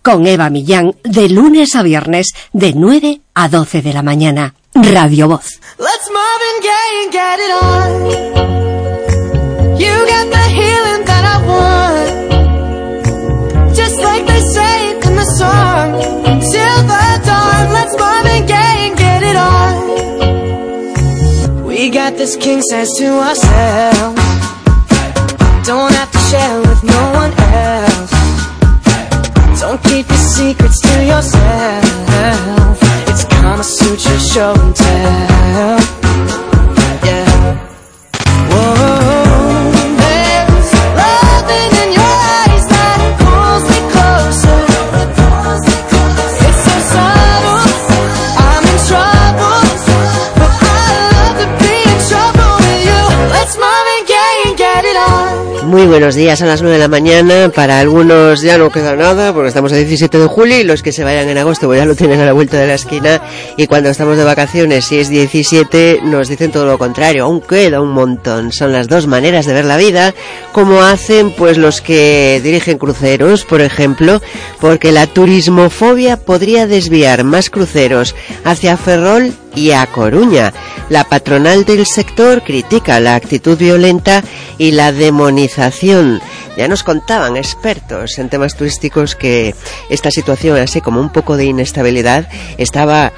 con Eva Millán, de lunes a viernes, de 9 a 12 de la mañana. Radio Voz. Let's Marvin Gaye and get it on. You got the healing that I want. Just like they say in the song. Till the dawn, let's Marvin Gaye and get it on. We got this king size to ourselves. Don't have to share with no one else. Don't keep your secrets to yourself. It's Kama Sutra show and tell. Yeah. Whoa. There's loving in your eyes that pulls me closer. It's so subtle, I'm in trouble, but I love to be in trouble with you. Let's Marvin Gaye and get it on. Muy buenos días, a las 9 de la mañana. Para algunos ya no queda nada porque estamos a 17 de julio y los que se vayan en agosto pues ya lo tienen a la vuelta de la esquina, y cuando estamos de vacaciones, si es 17, nos dicen todo lo contrario, aún queda un montón. Son las dos maneras de ver la vida, como hacen pues los que dirigen cruceros, por ejemplo, porque la turismofobia podría desviar más cruceros hacia Ferrol y a Coruña. La patronal del sector critica la actitud violenta y la demonización. Ya nos contaban expertos en temas turísticos que esta situación, así como un poco de inestabilidad, estaba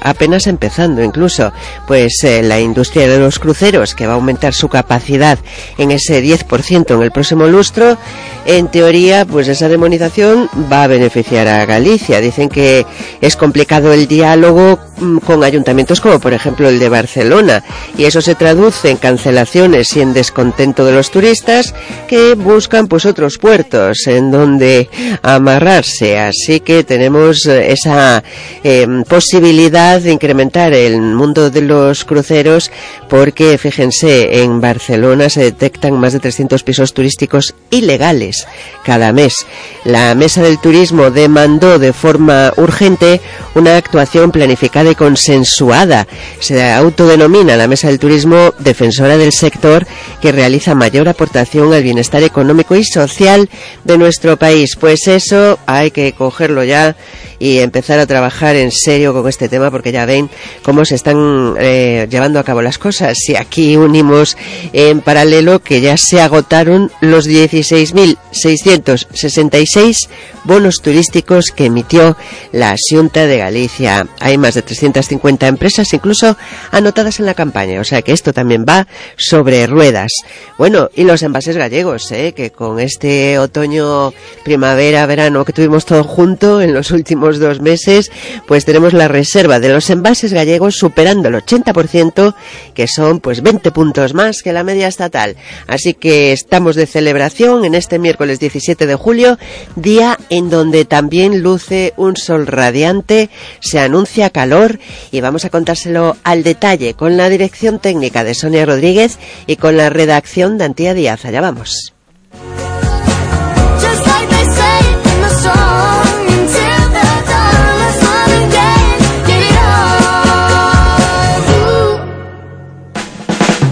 apenas empezando incluso. Pues la industria de los cruceros, que va a aumentar su capacidad en ese 10% en el próximo lustro, en teoría, pues esa demonización va a beneficiar a Galicia. Dicen que es complicado el diálogo con ayuntamientos como por ejemplo el de Barcelona, y eso se traduce en cancelaciones y en descontento de los turistas que buscan pues otros puertos en donde amarrarse. Así que tenemos esa posibilidad de incrementar el mundo de los cruceros, porque fíjense, en Barcelona se detectan más de 300 pisos turísticos ilegales cada mes. La Mesa del Turismo demandó de forma urgente una actuación planificada y consensuada. Se autodenomina la Mesa del Turismo defensora del sector, que realiza mayor aportación al bienestar económico y social de nuestro país. Pues eso hay que cogerlo ya y empezar a trabajar en serio con este tema, porque ya ven cómo se están llevando a cabo las cosas. Si aquí unimos en paralelo que ya se agotaron los 16.666 bonos turísticos que emitió la Xunta de Galicia. Hay más de 350 empresas incluso anotadas en la campaña, o sea que esto también va sobre ruedas. Bueno, y los envases gallegos, que con este otoño, primavera, verano que tuvimos todo junto en los últimos 2 meses, pues tenemos la reserva de los envases gallegos superando el 80%, que son pues 20 puntos más que la media estatal. Así que estamos de celebración en este miércoles 17 de julio, día en donde también luce un sol radiante, se anuncia calor, y vamos a contárselo al detalle con la dirección técnica de Sonia Rodríguez y con la redacción de Antía Díaz. Allá vamos.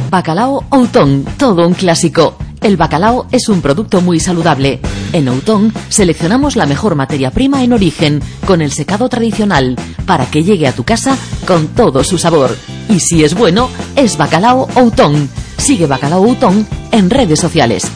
Bacalao Outón, todo un clásico. El bacalao es un producto muy saludable. En Outón seleccionamos la mejor materia prima en origen, con el secado tradicional, para que llegue a tu casa con todo su sabor. Y si es bueno, es Bacalao Outón. Sigue Bacalao Outón en redes sociales.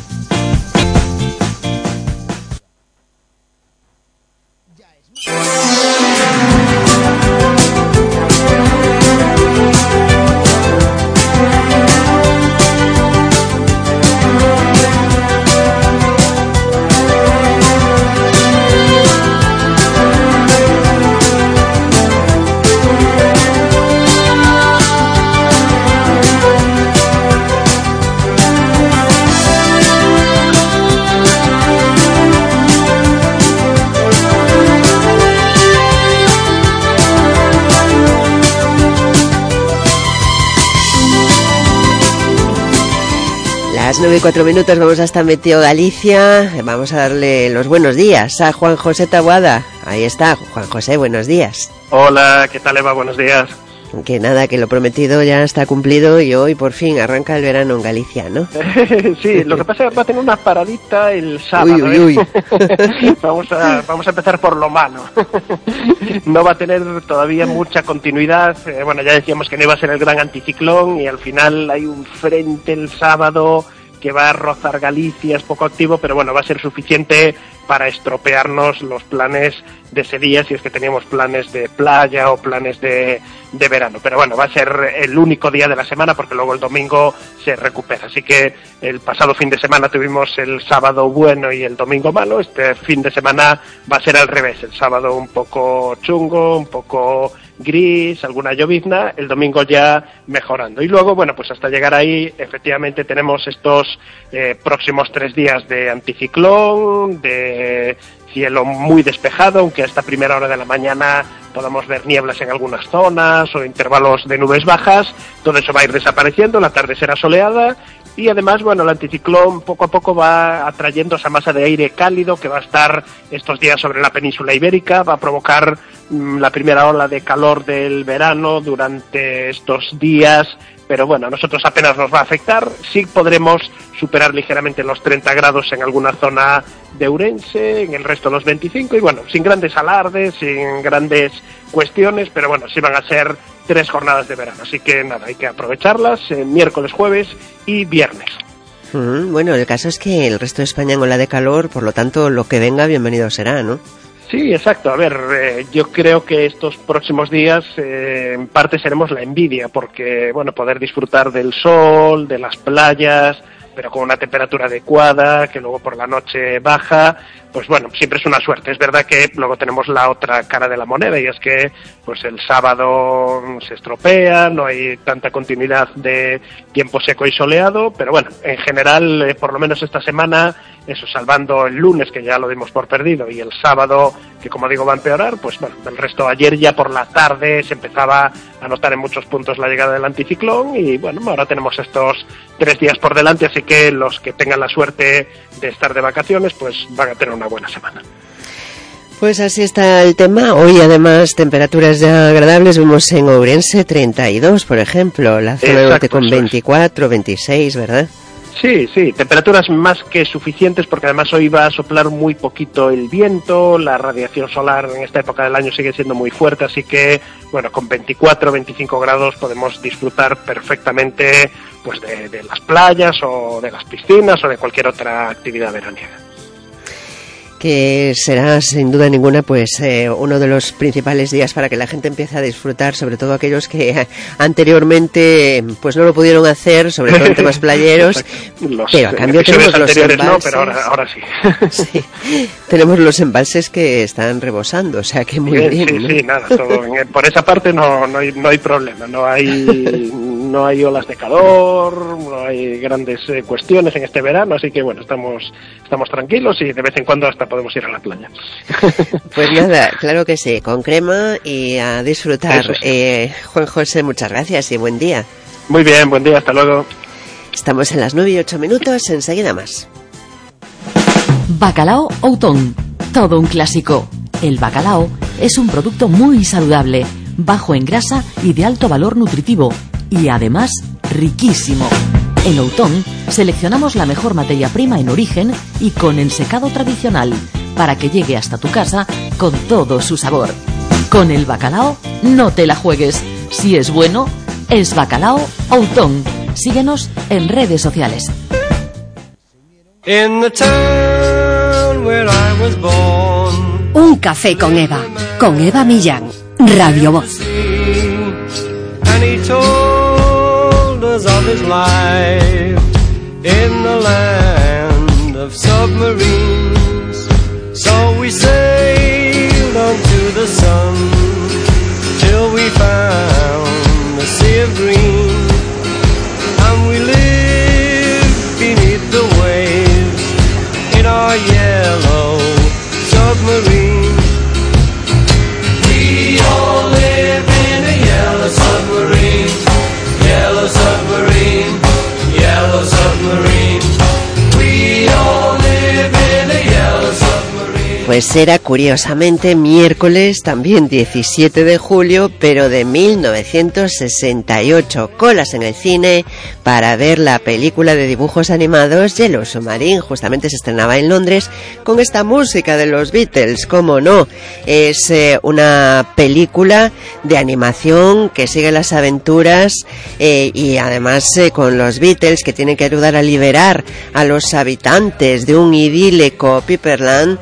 Las 9:04, vamos hasta Meteo Galicia. Vamos a darle los buenos días a Juan José Taboada. Ahí está, Juan José, buenos días. Hola, ¿qué tal, Eva? Buenos días. Que nada, que lo prometido ya está cumplido y hoy por fin arranca el verano en Galicia, ¿no? Sí, lo que pasa es que va a tener una paradita el sábado. Uy. Vamos a empezar por lo malo. No va a tener todavía mucha continuidad. Bueno, ya decíamos que no iba a ser el gran anticiclón y al final hay un frente el sábado que va a rozar Galicia, es poco activo, pero bueno, va a ser suficiente para estropearnos los planes de ese día, si es que teníamos planes de playa o planes de verano. Pero bueno, va a ser el único día de la semana porque luego el domingo se recupera. Así que el pasado fin de semana tuvimos el sábado bueno y el domingo malo. Este fin de semana va a ser al revés. El sábado un poco chungo, un poco gris, alguna llovizna, el domingo ya mejorando. Y luego, bueno, pues hasta llegar ahí, efectivamente tenemos estos próximos 3 días de anticiclón, de cielo muy despejado, aunque a esta primera hora de la mañana podamos ver nieblas en algunas zonas o intervalos de nubes bajas. Todo eso va a ir desapareciendo, la tarde será soleada y además, bueno, el anticiclón poco a poco va atrayendo esa masa de aire cálido que va a estar estos días sobre la península ibérica, va a provocar la primera ola de calor del verano durante estos días. Pero bueno, a nosotros apenas nos va a afectar. Sí podremos superar ligeramente los 30 grados en alguna zona de Ourense, en el resto los 25, y bueno, sin grandes alardes, sin grandes cuestiones, pero bueno, sí van a ser 3 jornadas de verano. Así que nada, hay que aprovecharlas, miércoles, jueves y viernes. Bueno, el caso es que el resto de España en ola de calor, por lo tanto, lo que venga, bienvenido será, ¿no? Sí, exacto. A ver, yo creo que estos próximos días en parte seremos la envidia, porque, bueno, poder disfrutar del sol, de las playas, pero con una temperatura adecuada, que luego por la noche baja, pues bueno, siempre es una suerte. Es verdad que luego tenemos la otra cara de la moneda y es que pues el sábado se estropea, no hay tanta continuidad de tiempo seco y soleado, pero bueno, en general, por lo menos esta semana, eso, salvando el lunes, que ya lo dimos por perdido, y el sábado, que como digo va a empeorar, pues bueno, el resto, ayer ya por la tarde se empezaba a notar en muchos puntos la llegada del anticiclón y bueno, ahora tenemos estos 3 días por delante, así que los que tengan la suerte de estar de vacaciones, pues van a tener una buena semana. Pues así está el tema. Hoy además temperaturas ya agradables, vemos en Ourense 32, por ejemplo, la zona norte con 24, 26, ¿verdad? Sí, temperaturas más que suficientes porque además hoy va a soplar muy poquito el viento, la radiación solar en esta época del año sigue siendo muy fuerte, así que, bueno, con 24, 25 grados podemos disfrutar perfectamente pues de las playas o de las piscinas o de cualquier otra actividad veraniega. Que será sin duda ninguna pues uno de los principales días para que la gente empiece a disfrutar, sobre todo aquellos que anteriormente pues no lo pudieron hacer, sobre todo en temas playeros, pero a cambio tenemos los embalses, no, pero ahora sí. Sí, tenemos los embalses que están rebosando, o sea que muy bien, ¿no? Sí, nada, todo, por esa parte no hay problema, no hay olas de calor, no hay grandes cuestiones en este verano, así que bueno, estamos tranquilos y de vez en cuando hasta podemos ir a la playa. Pues nada, claro que sí, con crema y a disfrutar. Sí. Juan José, muchas gracias y buen día. Muy bien, buen día, hasta luego. Estamos en las 9:08, enseguida más. Bacalao Outón, todo un clásico. El bacalao es un producto muy saludable, bajo en grasa y de alto valor nutritivo, y además riquísimo. En Outón seleccionamos la mejor materia prima en origen y con ensecado tradicional para que llegue hasta tu casa con todo su sabor. Con el bacalao no te la juegues. Si es bueno, es Bacalao Outón. Síguenos en redes sociales. Un café con Eva Millán, Radio Voz. Of his life in the land of submarines. So we sailed onto the sun till we found the sea of green, and we lived beneath the waves in our yellow submarine. We all live in a yellow submarine. Yellow submarine, yellow submarine. We all live in a Pues era curiosamente miércoles, también 17 de julio, pero de 1968. Colas en el cine para ver la película de dibujos animados Yellow Submarine. Justamente se estrenaba en Londres con esta música de los Beatles, cómo no. Es una película de animación que sigue las aventuras y además con los Beatles, que tienen que ayudar a liberar a los habitantes de un idílico Piperland,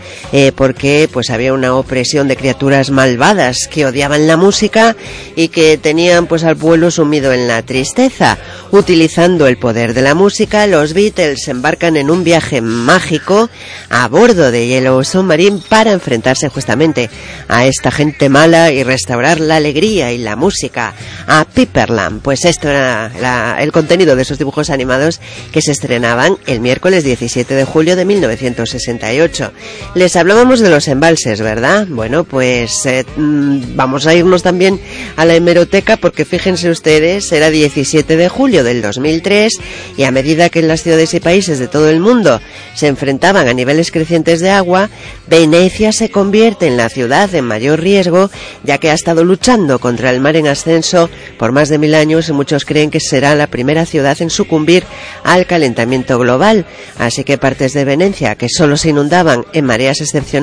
porque pues había una opresión de criaturas malvadas que odiaban la música y que tenían pues al pueblo sumido en la tristeza. Utilizando el poder de la música, los Beatles embarcan en un viaje mágico a bordo de Yellow Submarine para enfrentarse justamente a esta gente mala y restaurar la alegría y la música a Piperland. Pues esto era el contenido de esos dibujos animados que se estrenaban el miércoles 17 de julio de 1968. Les hablábamos de los embalses, ¿verdad? Bueno, pues vamos a irnos también a la hemeroteca, porque fíjense ustedes, era 17 de julio del 2003 y a medida que en las ciudades y países de todo el mundo se enfrentaban a niveles crecientes de agua, Venecia se convierte en la ciudad en mayor riesgo, ya que ha estado luchando contra el mar en ascenso por más de 1000 años y muchos creen que será la primera ciudad en sucumbir al calentamiento global. Así que partes de Venecia, que solo se inundaban en mareas excepcionales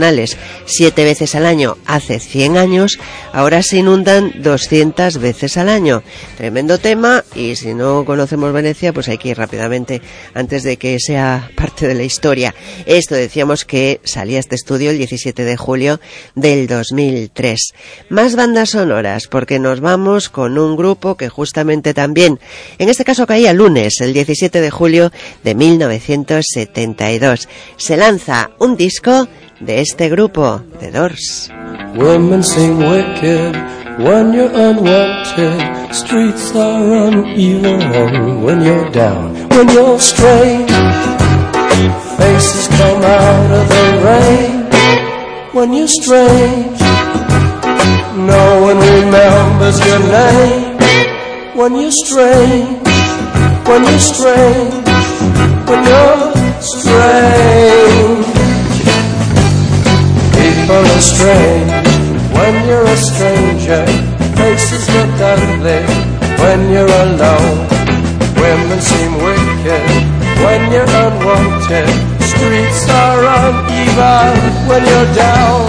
7 veces al año hace 100 años, ahora se inundan 200 veces al año. Tremendo tema, y si no conocemos Venecia, pues hay que ir rápidamente antes de que sea parte de la historia. Esto decíamos que salía este estudio el 17 de julio del 2003. Más bandas sonoras, porque nos vamos con un grupo que justamente también, en este caso caía lunes, el 17 de julio de 1972. Se lanza un disco de este grupo, The Doors. Women sing wicked when you're unwanted. Streets are uneven when you're down, when you're strange. Faces come out of the rain when you're strange. No one remembers your name when you're strange. When you're strange, when you're strange. People are strange when you're a stranger. Faces look ugly when you're alone. Women seem wicked when you're unwanted. Streets are uneven when you're down.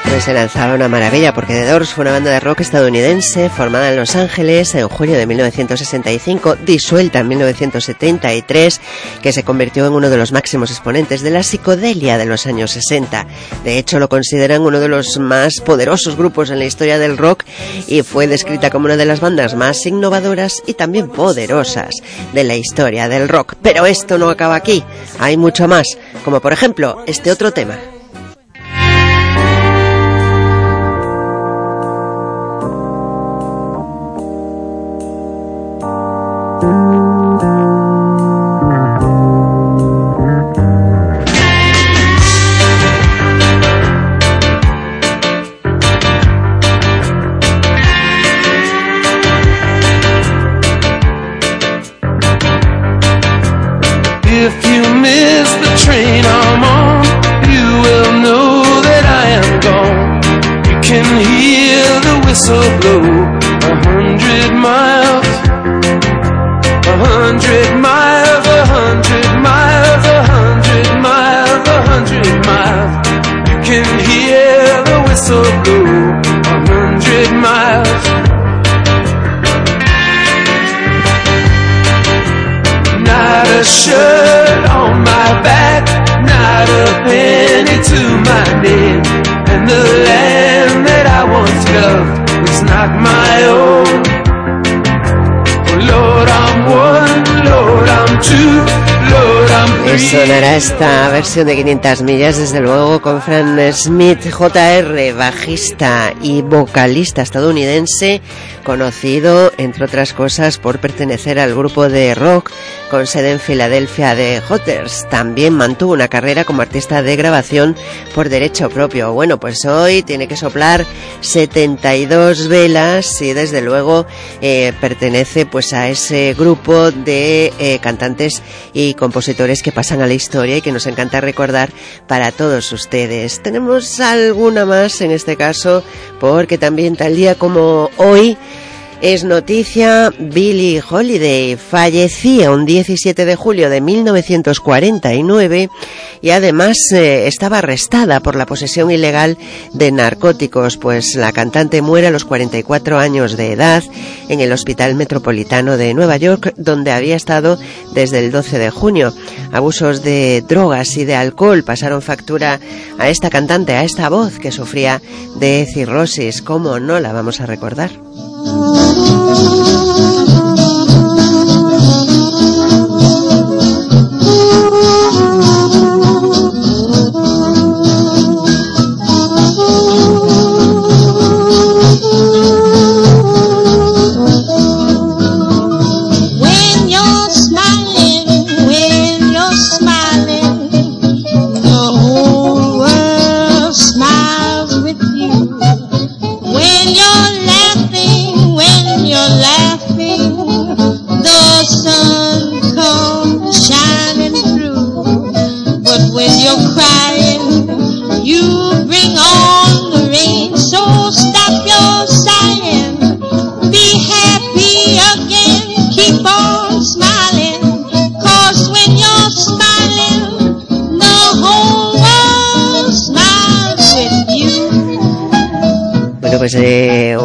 Pues se lanzaba una maravilla, porque The Doors fue una banda de rock estadounidense formada en Los Ángeles en julio de 1965, disuelta en 1973, que se convirtió en uno de los máximos exponentes de la psicodelia de los años 60. De hecho, lo consideran uno de los más poderosos grupos en la historia del rock y fue descrita como una de las bandas más innovadoras y también poderosas de la historia del rock. Pero esto no acaba aquí, hay mucho más, como por ejemplo este otro tema. Sonará esta versión de 500 millas, desde luego, con Fran Smith, Jr., bajista y vocalista estadounidense, conocido, entre otras cosas, por pertenecer al grupo de rock con sede en Filadelfia de Hooters. También mantuvo una carrera como artista de grabación por derecho propio. Bueno, pues hoy tiene que soplar 72 velas y desde luego pertenece pues a ese grupo de cantantes y compositores que pasan a la historia y que nos encanta recordar para todos ustedes. Tenemos alguna más en este caso, porque también tal día como hoy es noticia Billie Holiday. Fallecía un 17 de julio de 1949 y además estaba arrestada por la posesión ilegal de narcóticos, pues la cantante muere a los 44 años de edad en el Hospital Metropolitano de Nueva York, donde había estado desde el 12 de junio. Abusos de drogas y de alcohol pasaron factura a esta cantante, a esta voz que sufría de cirrosis. ¿Cómo no la vamos a recordar? Pues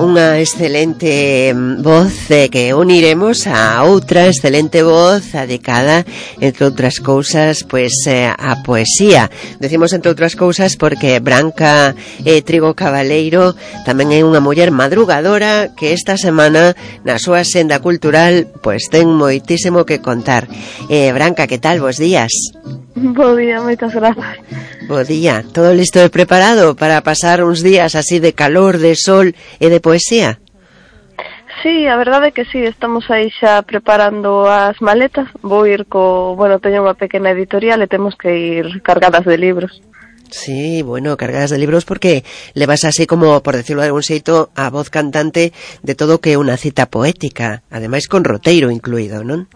unha excelente voz que uniremos a outra excelente voz dedicada, entre outras cousas, pues a poesía. Decimos entre outras cousas porque Branca Trigo Cabaleiro tamén é unha muller madrugadora que esta semana na súa senda cultural pues ten moitísimo que contar. Branca, que tal? Bos días. Bo día, moitas grazas. Bo día, todo listo e preparado para pasar uns días así de calor, de sol e de poesía? Sí, a verdade é que sí, estamos aí xa preparando as maletas. Vou ir teño unha pequena editorial e temos que ir cargadas de libros. Sí, bueno, cargadas de libros porque le vas así como, por decirlo de algún xeito, a voz cantante de todo que é unha cita poética, ademais con roteiro incluído, non?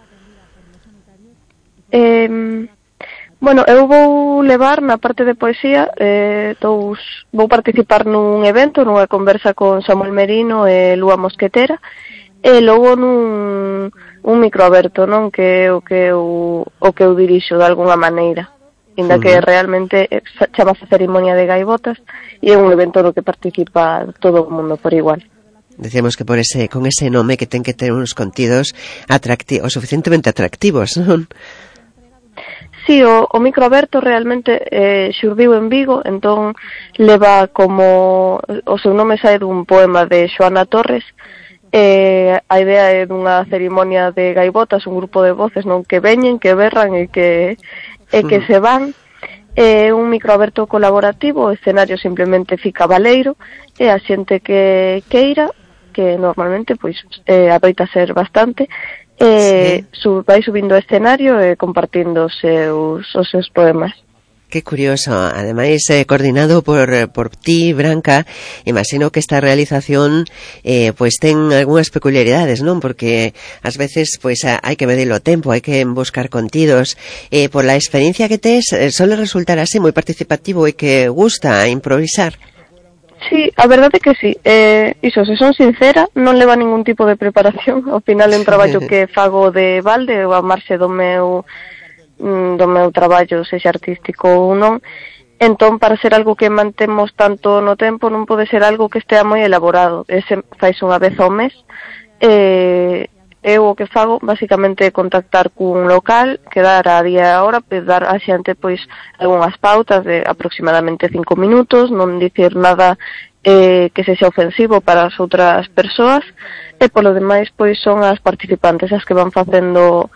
Eu vou levar na parte de poesía, vou participar nun evento, nunha conversa con Samuel Merino e Lúa Mosquetera, e logo nun micro aberto, non, que é o que eu dirixo de alguna maneira, inda que realmente chamase Cerimonia de Gaivotas e é un evento no que participa todo o mundo por igual. Decíamos que con ese nome que ten que ter uns contidos suficientemente atractivos, non? Sí, o micro aberto realmente xurdiu en Vigo, entón leva como o seu nome sae dun poema de Xoana Torres. A idea é dunha cerimonia de gaivotas, un grupo de voces non que veñen, que berran e que se van. É un micro aberto colaborativo, o escenario simplemente fica baleiro e a xente que queira, que normalmente pois adoita ser bastante, vai subindo ao escenario e compartindo os seus poemas. Que curioso, ademais coordinado por ti, Branca. Imagino que esta realización pues ten algunhas peculiaridades, non? Porque ás veces pues hai que medir o tempo, hai que buscar contidos. Por la experiencia que tes, suele resultar así moi participativo e que gusta improvisar. Sí, a verdade é que sí. Iso, se son sincera, non leva ningún tipo de preparación. Ao final é un traballo que fago de balde, ou a marxe do meu traballo, sexa artístico ou non. Entón, para ser algo que mantemos tanto no tempo, non pode ser algo que estea moi elaborado. Ese fais unha vez ao mes. Eu o que fago, basicamente, é contactar cun local, quedar a día e a hora, dar a xente, pois, algunhas pautas de aproximadamente 5 minutos, non dicir nada que sexa ofensivo para as outras persoas, e polo demais, pois, son as participantes as que van facendo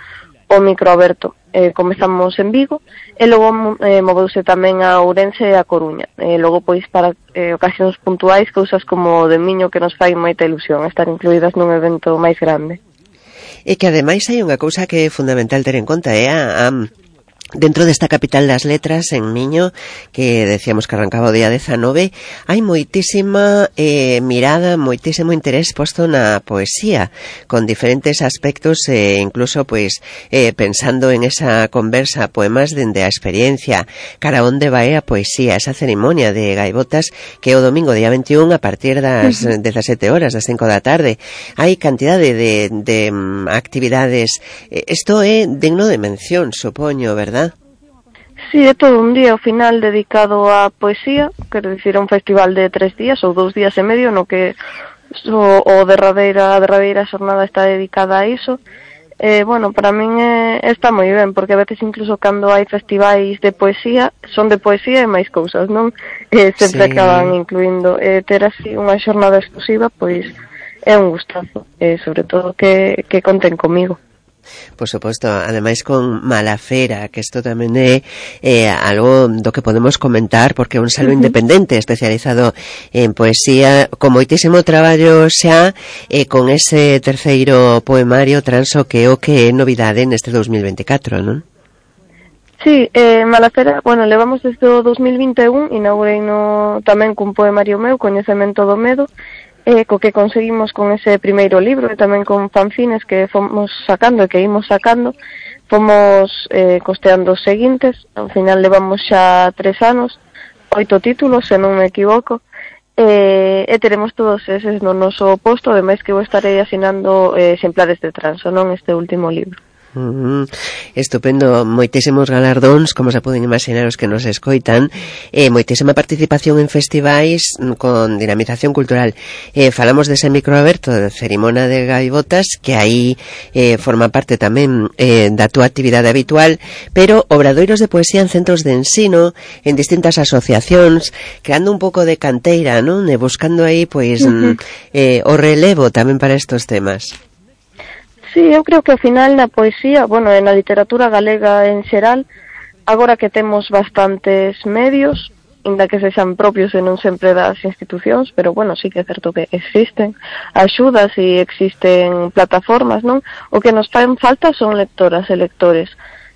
o micro aberto. Comezamos en Vigo, e logo moveuse tamén a Ourense e a Coruña. Logo, pois, para ocasións puntuais, cousas como o de Miño que nos fai moita ilusión estar incluídas nun evento máis grande. E que ademais hai unha cousa que é fundamental ter en conta, é a Dentro desta capital das letras, en Miño, que decíamos que arrancaba o día 19, hai moitísima mirada, moitísimo interés posto na poesía, con diferentes aspectos, incluso pois pensando en esa conversa, poemas dende a experiencia, cara onde vai a poesía, esa cerimonia de gaivotas que o domingo día 21 a partir das 17 horas, das 5 da tarde. Hai cantidade de actividades. Isto é digno de mención, supoño, verdad? Sí, é todo un día ao final dedicado á poesía, quero dicir, un festival de 3 días ou 2 días e medio, no que a derradeira xornada está dedicada a iso. Bueno, para min está moi ben, porque a veces incluso cando hai festivais de poesía, son de poesía e máis cousas, non? Sempre acaban incluindo ter así unha xornada exclusiva, pois é un gustazo, sobre todo que conten comigo. Por suposto, ademais con Malafera, que isto tamén é algo do que podemos comentar, porque é un selo independente especializado en poesía, con moitísimo traballo xa, con ese terceiro poemario Transo, que é o que é novidade neste 2024, non? Sí, Malafera, bueno, levamos desde o 2021, inaugurei no tamén cun poemario meu, Coñecemento do Medo, co que conseguimos con ese primeiro libro e tamén con fanzines que fomos sacando e que imos sacando, fomos costeando os seguintes. Ao final levamos xa 3 anos, 8 títulos, se non me equivoco, e teremos todos eses no noso posto, ademais que vou estarei asinando exemplares de Transo, non este último libro. Estupendo, moitísimos galardóns, como se poden imaginar os que nos escoitan, moitísima participación en festivais con dinamización cultural. Falamos dese micro aberto de Cerimonia de Gaivotas, que aí forma parte tamén da túa actividade habitual, pero obradoiros de poesía en centros de ensino, en distintas asociacións, creando un pouco de canteira, non? E buscando aí pois o relevo tamén para estos temas. Sí, eu creo que ao final na poesía, bueno, na literatura galega en xeral, agora que temos bastantes medios, inda que sexan propios e non sempre das institucións, pero bueno, sí que é certo que existen axudas e existen plataformas, non? O que nos fan falta son lectoras e lectores,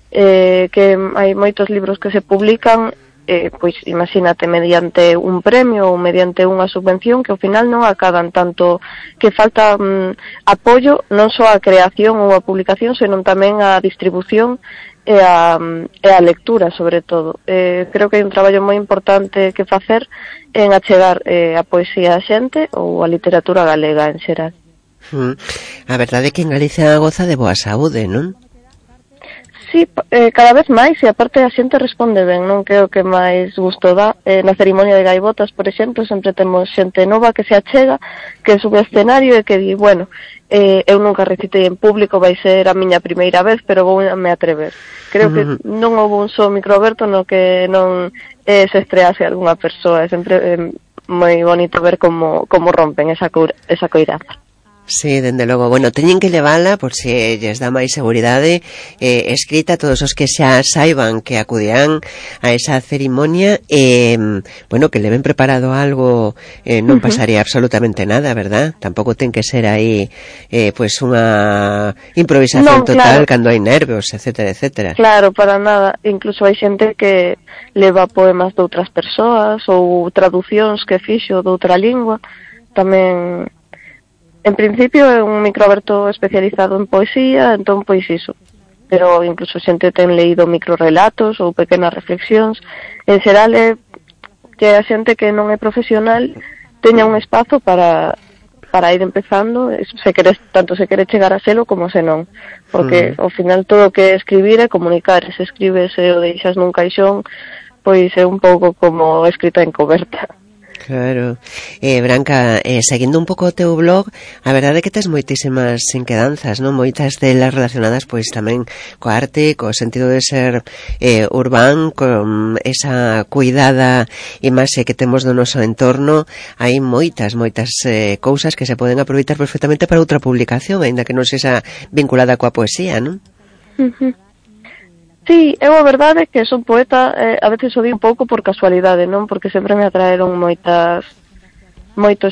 que hai moitos libros que se publican, pois imagínate, mediante un premio ou mediante unha subvención que ao final non acadan, tanto que falta apoio non só a creación ou a publicación, senón tamén a distribución e a lectura, sobre todo. Creo que hai un traballo moi importante que facer en achegar a poesía a xente ou a literatura galega en xeral. A verdade é que en Galicia goza de boa saúde, non? Sí, cada vez máis, e aparte a xente responde ben, non? Que é o que máis gusto dá. Na cerimonia de Gaivotas, por exemplo, sempre temos xente nova que se achega, que sube ao escenario e que di, bueno, eu nunca recitei en público, vai ser a miña primeira vez, pero vou me atrever. Creo que non houve un só microaberto no que non se estrease algunha persoa. É sempre moi bonito ver como rompen esa coiraza. Sí, dende logo. Bueno, teñen que levala por se lles dá máis seguridade, escrita a todos os que xa saiban que acudirán a esa cerimonia, bueno, que leven preparado algo, non pasaría absolutamente nada, verdad? Tampouco ten que ser aí pues unha improvisación total, claro, cando hai nervios, etcétera, etcétera. Claro, para nada. Incluso hai xente que leva poemas de outras persoas ou traducións que fixo de outra lingua. Tamén, en principio, é un microaberto especializado en poesía, entón, pois iso. Pero incluso xente ten leído microrelatos ou pequenas reflexións. En xeral, é que a xente que non é profesional teña un espazo para ir empezando, tanto se quere chegar a selo como se non. Porque, ao final, todo o que é escribir é comunicar. Se escribes e o deixas nun caixón, pois é un pouco como escrita en coberta. Claro. Branca, seguindo un pouco o teu blog, a verdade é que tes moitísimas inquedanzas, non? Moitas delas relacionadas pois tamén coa arte, co sentido de ser urbán, con esa cuidada imaxe que temos do noso entorno. Hai moitas cousas que se poden aproveitar perfectamente para outra publicación, aínda que non sexa vinculada coa poesía, non? Sí, eu a verdade é que son poeta, a veces o di un pouco por casualidade, non? Porque sempre me atraeron moitos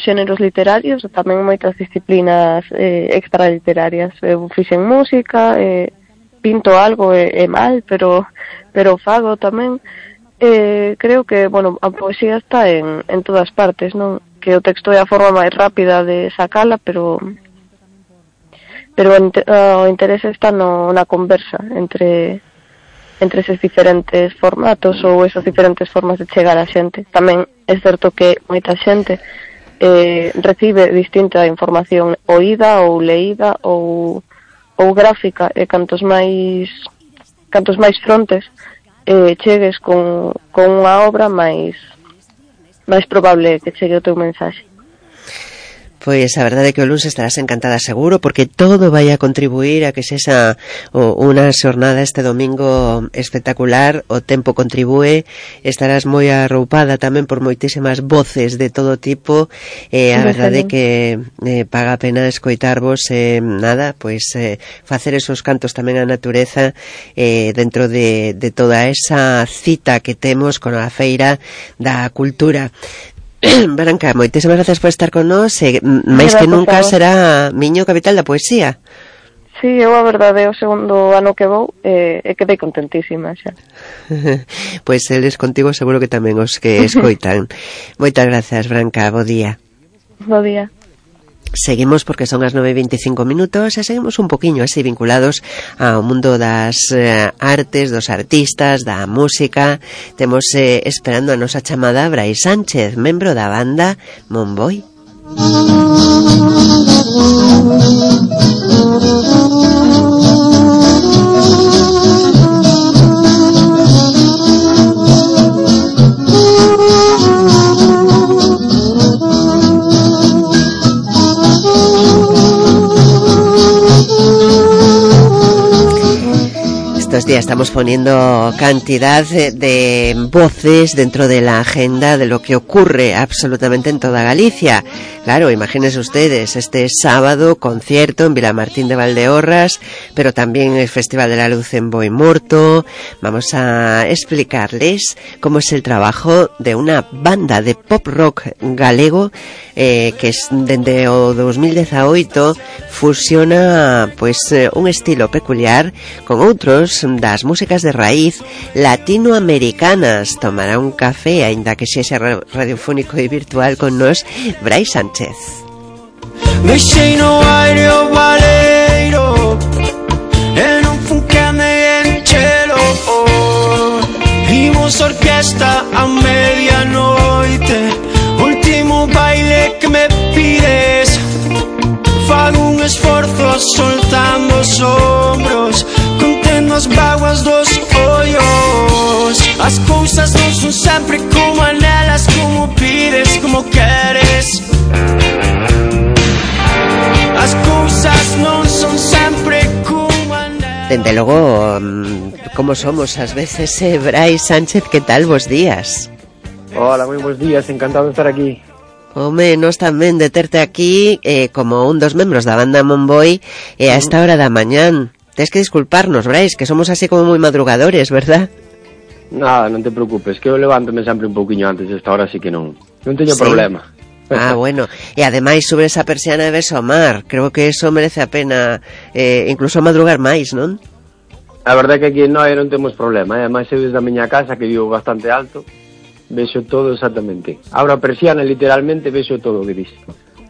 xéneros literarios, e tamén moitas disciplinas extraliterarias. Eu fixen música, pinto algo e mal, pero fago tamén. Creo que, bueno, a poesía está en todas partes, non? Que o texto é a forma máis rápida de sacala, pero o interese está na conversa entre eses diferentes formatos ou esas diferentes formas de chegar a xente. Tamén é certo que moita xente recibe distinta información oída ou leída ou gráfica, e cantos máis frontes chegues con unha obra, máis probable que chegue o teu mensaxe. Pois a verdade é que o luns estarás encantada seguro, porque todo vai a contribuir a que sexa unha xornada este domingo espectacular. O tempo contribúe, estarás moi arroupada tamén por moitísimas voces de todo tipo. A verdade é que paga a pena escoitarvos, facer esos cantos tamén á natureza dentro de toda esa cita que temos con a Feira da Cultura. Branca, moitísimas gracias por estar con nós, máis que nunca será Miño capital da poesía. Sí, eu a verdade o segundo ano que vou e quedei contentísima xa. Pois eles contigo seguro que tamén os que escoitan. Moitas gracias, Branca, bo día. Bo día. Seguimos porque son as 9:25 e seguimos un poquinho así vinculados ao mundo das artes, dos artistas, da música. Temos esperando a nosa chamada Brais Sánchez, membro da banda Monboi. Estos días estamos poniendo cantidad de voces dentro de la agenda de lo que ocurre absolutamente en toda Galicia. Claro, imagínense ustedes, este sábado concierto en Vilamartín de Valdeorras, pero también el Festival de la Luz en Boimorto. Vamos a explicarles cómo es el trabajo de una banda de pop rock galego que es dende o 2018 fusiona un estilo peculiar con outros das músicas de raíz latinoamericanas. Tomará un café, aínda que sexa radiofónico e virtual, con nos Brais Sánchez. Deixei no aire o baleiro e non fun que me enchelo. Imos orquesta a medianoite, último baile que me pides. Fago un esforzo soltando os ombros, contendo as báguas dos ollos. As cousas non son sempre como anelas, como pides, como queres. As cousas non son sempre como anelas. Dende logo, como somos ás veces, Brais Sánchez, que tal, bos días? Hola, moi bons días, encantado de estar aquí. Home, nos tamén de terte aquí como un dos membros da banda Monboi a esta hora da mañán. Tens que disculparnos, Brais, que somos así como moi madrugadores, verdad? Nada, non te preocupes, que eu levántome sempre un pouquiño antes, esta hora sí que non teño problema. Ah, bueno, e ademais sobre esa persiana de ves o mar. Creo que eso merece a pena incluso madrugar máis, non? A verdade é que aquí non temos problema, ademais eu desde a miña casa, que vivo bastante alto, vexo todo exactamente. Abro a persiana e literalmente vexo todo o que dis.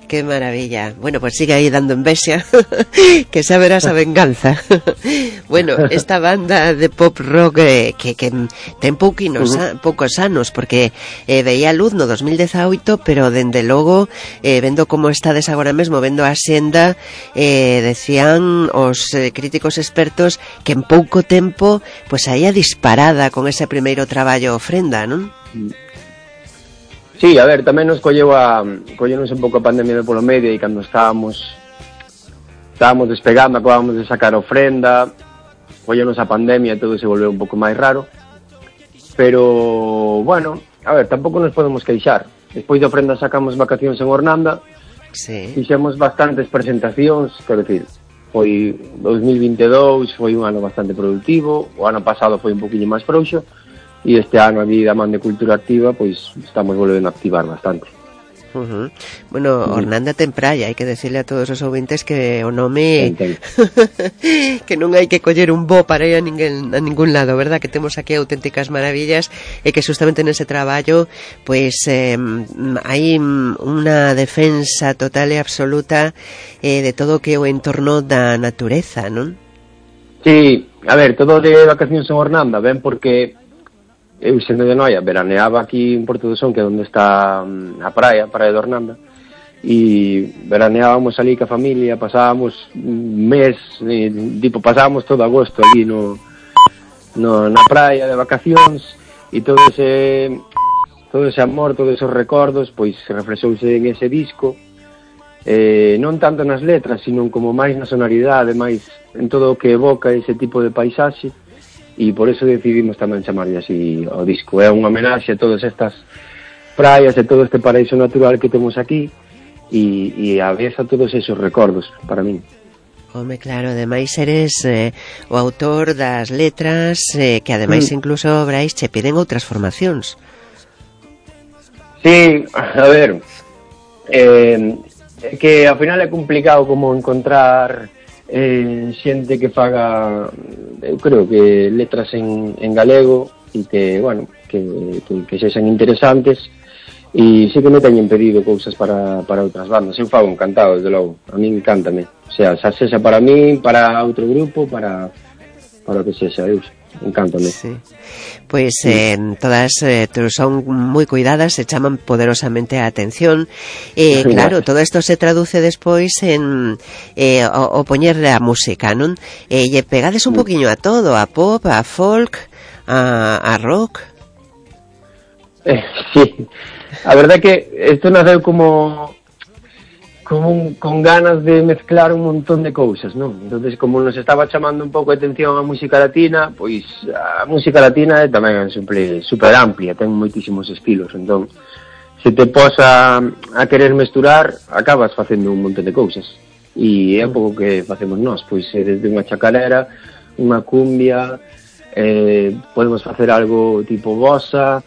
Qué maravilla. Bueno, pues sigue ahí dando envexa, que xa verás a venganza. Bueno, esta banda de pop rock que ten poucos anos, porque veía a luz no 2018, pero dende logo, vendo como estades agora mesmo, vendo a xenda, decían os críticos expertos que en pouco tempo pues saía disparada con ese primeiro traballo Ofrenda, non? Sí, a ver, tamén nos collenos un pouco a pandemia polo medio, e cando estábamos despegando, acabábamos de sacar Ofrenda, collenos a pandemia e todo se volveu un pouco máis raro, pero, bueno, a ver, tampouco nos podemos queixar. Despois de Ofrenda sacamos Vacacións en Ornanda, sí. Fixemos bastantes presentacións, quero dicir, foi 2022, foi un ano bastante productivo, o ano pasado foi un poquinho máis frouxo, e este ano aquí da Man de Cultura Activa pois estamos volvendo a activar bastante. Bueno, Ornanda ten praia, hai que decirle a todos os ouvintes que o nome que non hai que coller un bo para ir a ningún lado, verdad? Que temos aquí auténticas maravillas e que justamente nese traballo pois hai unha defensa total e absoluta de todo o que é o entorno da natureza, non? Sí, a ver, todo de vacacións en Ornanda ven porque eu sendo de Noia veraneaba aquí en Porto do Son, que é onde está a praia de Ornanda, e veraneábamos ali ca familia, pasábamos un mes, pasábamos todo agosto ali na praia de vacacións, e todo ese amor, todos esos recordos, pois se reflexouse en ese disco, non tanto nas letras, sino como máis na sonoridade, máis en todo o que evoca ese tipo de paisaxe, e por eso decidimos tamén chamarlle así ao disco. É unha homenaxe a todas estas praias e todo este paraíso natural que temos aquí e a vez a todos esos recordos para min. Home, claro, ademais eres o autor das letras que ademais incluso, Brais, che piden outras formacións. Sí, a ver, que ao final é complicado como encontrar xente que faga, eu creo que letras en galego e que, bueno, que sexan interesantes, e sí que me teñen pedido cousas para outras bandas. Eu fago encantado, desde logo, a mí encántame, o sea, xa sexa para mí, para outro grupo, para o que sexa, eu encántame. Sí. Pois todas son moi cuidadas, se chaman poderosamente a atención. Claro, todo isto se traduce despois en o poñer a música, non? E pegades un poquinho a todo, a pop, a folk, a rock. Sí, a verdade é que isto naceu como con ganas de mezclar un montón de cousas, non? Entonces, como nos estaba chamando un pouco a atención a música latina, pois a música latina é tamén super amplia, ten moitísimos estilos, entón se te posa a querer mesturar, acabas facendo un montón de cousas. E é un pouco que facemos nós, pois desde unha chacarera, unha cumbia, podemos facer algo tipo bossa,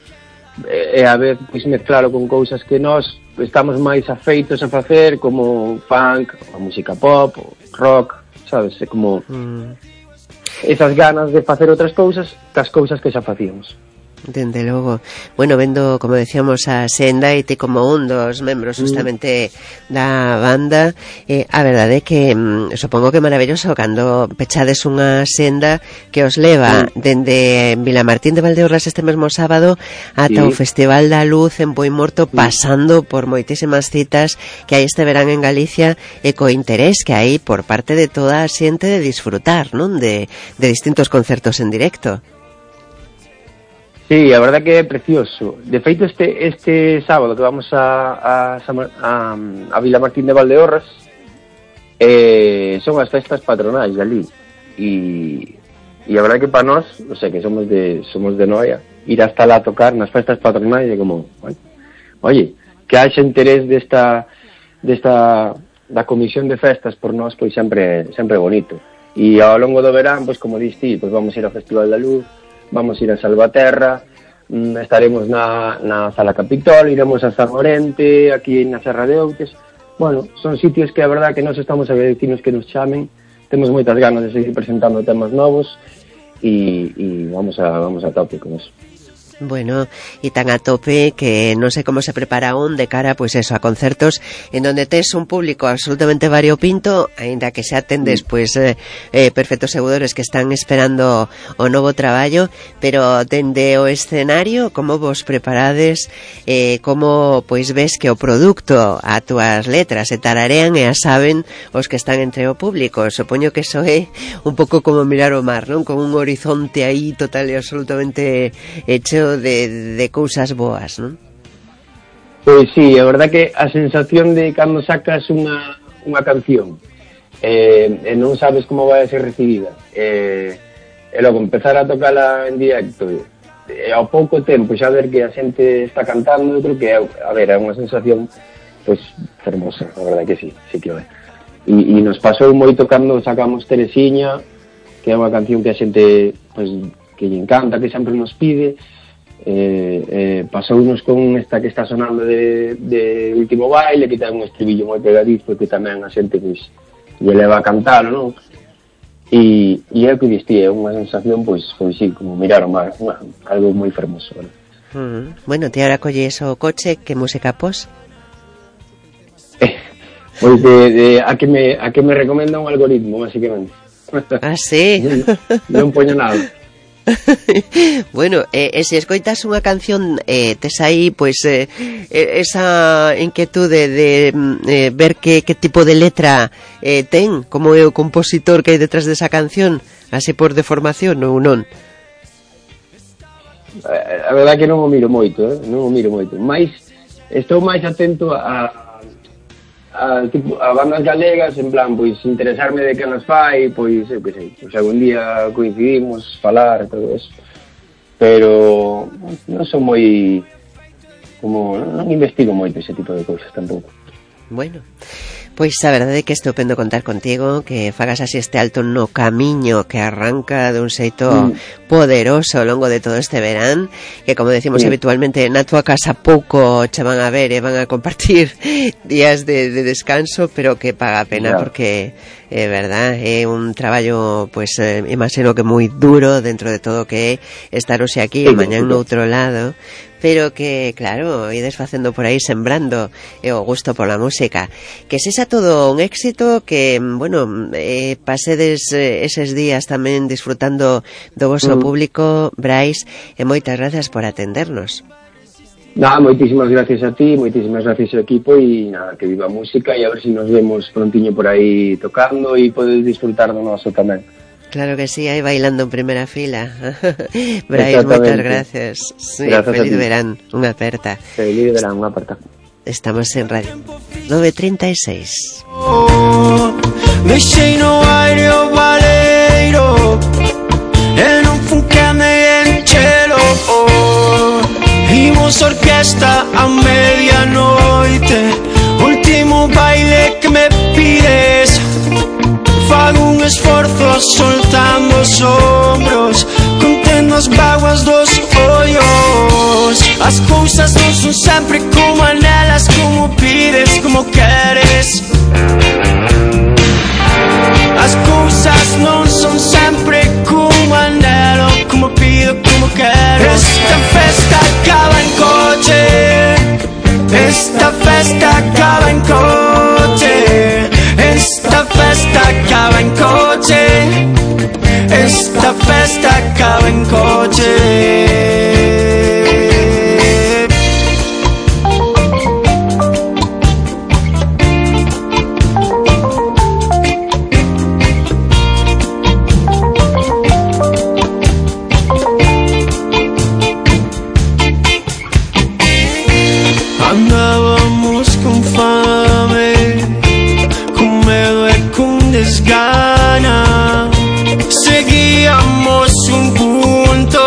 e a vez pois mezclalo con cousas que nós estamos máis afeitos a facer, como funk, a música pop, o rock, sabes, é como esas ganas de facer outras cousas cas cousas que xa facíamos. Dende logo. Bueno, vendo, como decíamos, a Senda e ti como un dos membros justamente da banda, a verdade é que supongo que é maravilloso cando pechades unha senda que os leva dende Vilamartín de Valdeorras este mesmo sábado ata o Festival da Luz en Boimorto, pasando por moitísimas citas que hai este verán en Galicia e co interés que hai por parte de toda a xente de disfrutar, non? De distintos concertos en directo. Sí, a verdade que é precioso. De feito, este sábado que vamos a Vilamartín de Valdeorras, son as festas patronais de ali. E a verdade que para nós, non sei, que somos de Noia, ir hasta lá a tocar nas festas patronais é como, oye, que haxa interés da comisión de festas por nós, pois sempre bonito. E ao longo do verán, pois como diste, pois vamos ir ao Festival da Luz, vamos ir a Salvaterra, estaremos na Sala Capitol, iremos a San Orente, aquí na Serra de Outes. Bueno, son sitios que a verdad que nos estamos agradecidos que nos chamen, temos moitas ganas de seguir presentando temas novos e vamos a tope con eso. Bueno, e tan a tope que non sei como se prepara un de cara, pois eso, a concertos en donde tes un público absolutamente variopinto, aínda que xa tendes pois perfectos seguidores que están esperando o novo traballo, pero dende o escenario, como vos preparades, como pois ves que o produto a túas letras se tararean e a saben os que están entre o público. Supoño que eso é un pouco como mirar o mar, non? Con un horizonte aí total e absolutamente hecho de cousas boas, non? Pois sí, a verdad que a sensación de cando sacas unha canción e non sabes como vai a ser recibida e logo empezar a tocala en directo e ao pouco tempo xa ver que a xente está cantando, eu creo que é unha sensación pois fermosa, a verdad que sí que é. E nos pasou moito cando sacamos Teresiña, que é unha canción que a xente pois que lle encanta, que sempre nos pide. pasounos con esta que está sonando de Último Baile, que ten un estribillo moi pegadizo, que tamén a xente pois lle leva a cantalo, non? E é o que diste, é unha sensación pois sí, como mirar o mar, algo moi fermoso, ¿verdad? Bueno, ti ahora colles o coche, que música pos? Pois a que me recomenda un algoritmo, basicamente. Ah, sí? Non poño nada. Bueno, se escoitas unha canción, tes aí pois esa inquietude de ver que tipo de letra ten, como é o compositor que hai detrás desa canción, así por deformación ou non? A verdade que non o miro moito, mais estou máis atento a bandas galegas, en plan, pois interesarme de que nos fai, pois eu que sei, pois algún día coincidimos, falar, todo eso, pero non son moi, como, non investigo moito ese tipo de cousas tampouco. Bueno, pois a verdade é que é estupendo contar contigo, que fagas así este alto no camiño que arranca dun xeito poderoso ao longo de todo este verán, que como decimos habitualmente na tua casa pouco che van a ver e van a compartir días de descanso, pero que paga a pena porque é verdad, é un traballo pois imagino que moi duro dentro de todo que é estar hoxe aquí e mañán no outro lado, pero que, claro, ides facendo por aí sembrando o gusto pola música. Que sexa todo un éxito, que, bueno, pasedes eses días tamén disfrutando do vosso público, Brais, e moitas gracias por atendernos. Nada, moitísimas gracias a ti, moitísimas gracias ao equipo, e nada, que viva a música, e a ver se nos vemos prontiño por aí tocando e podes disfrutar do noso tamén. Claro que sí, aí bailando en primera fila. Brais, moitas gracias. Sí, feliz verán, unha aperta. Feliz verán, unha aperta. Estamos en Radio 936. Deixei no aire o baleiro e non fu que me enchelo. Imos orquesta a medianoite, último baile que me pides. Fago un esforzo soltando os ombros, contendo as báguas dos ollos. As cousas non son sempre como anelas, como pides, como queres. As cousas non son sempre como anelo, como pido, como queres. Esta festa acaba en coche, esta festa acaba en coche, esta festa acaba en coche, esta festa acaba en coche. Andábamos con fame, con medo e con desgana. Seguíamos un punto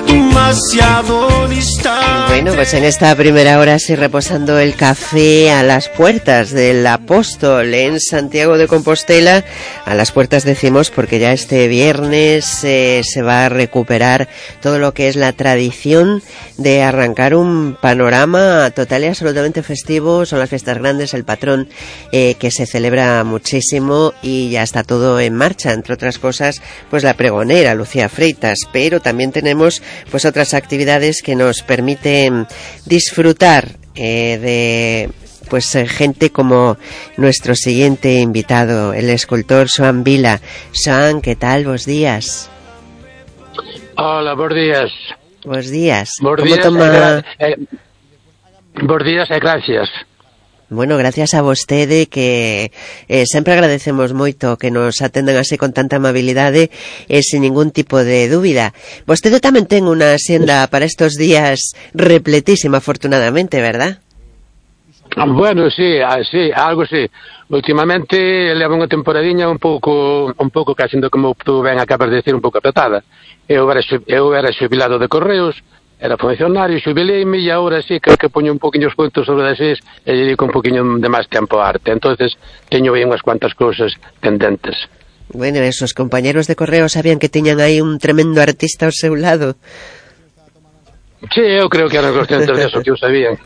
demasiado distante. Bueno, pues en esta primera hora sí reposando el café a las puertas del Apóstol en Santiago de Compostela. A las puertas decimos porque ya este viernes se va a recuperar todo lo que es la tradición de arrancar un panorama total y absolutamente festivo. Son las fiestas grandes, el patrón que se celebra muchísimo y ya está todo en marcha, entre otras cosas pues la pregonera Lucía Freitas, pero también tenemos pues otras actividades que nos permiten disfrutar de pues gente como nuestro siguiente invitado, el escultor Xoán Vila. Xoán, ¿qué tal? Bos días. Hola, bos días. Bos días. Bos ¿Cómo días, toma? Bos días e gracias. Bueno, gracias a vostede, que sempre agradecemos moito que nos atendan así con tanta amabilidade e sin ningún tipo de dúbida. Vostede tamén ten unha xenda para estos días repletísima, afortunadamente, verdad? Bueno, sí, algo sí. Últimamente levo unha temporadiña un pouco casi como tú ben acabas de decir, un pouco apretada. Eu era xubilado de Correos, era funcionario, xubileime e agora sí creo que poño un poquinho os puntos sobre as is e dedico un poquinho de máis tempo á arte. Entonces teño aí unhas cuantas cousas pendentes. Bueno, esos compañeros de Correo sabían que tiñan aí un tremendo artista ao seu lado. Sí, eu creo que eran conscientes deso, que o sabían.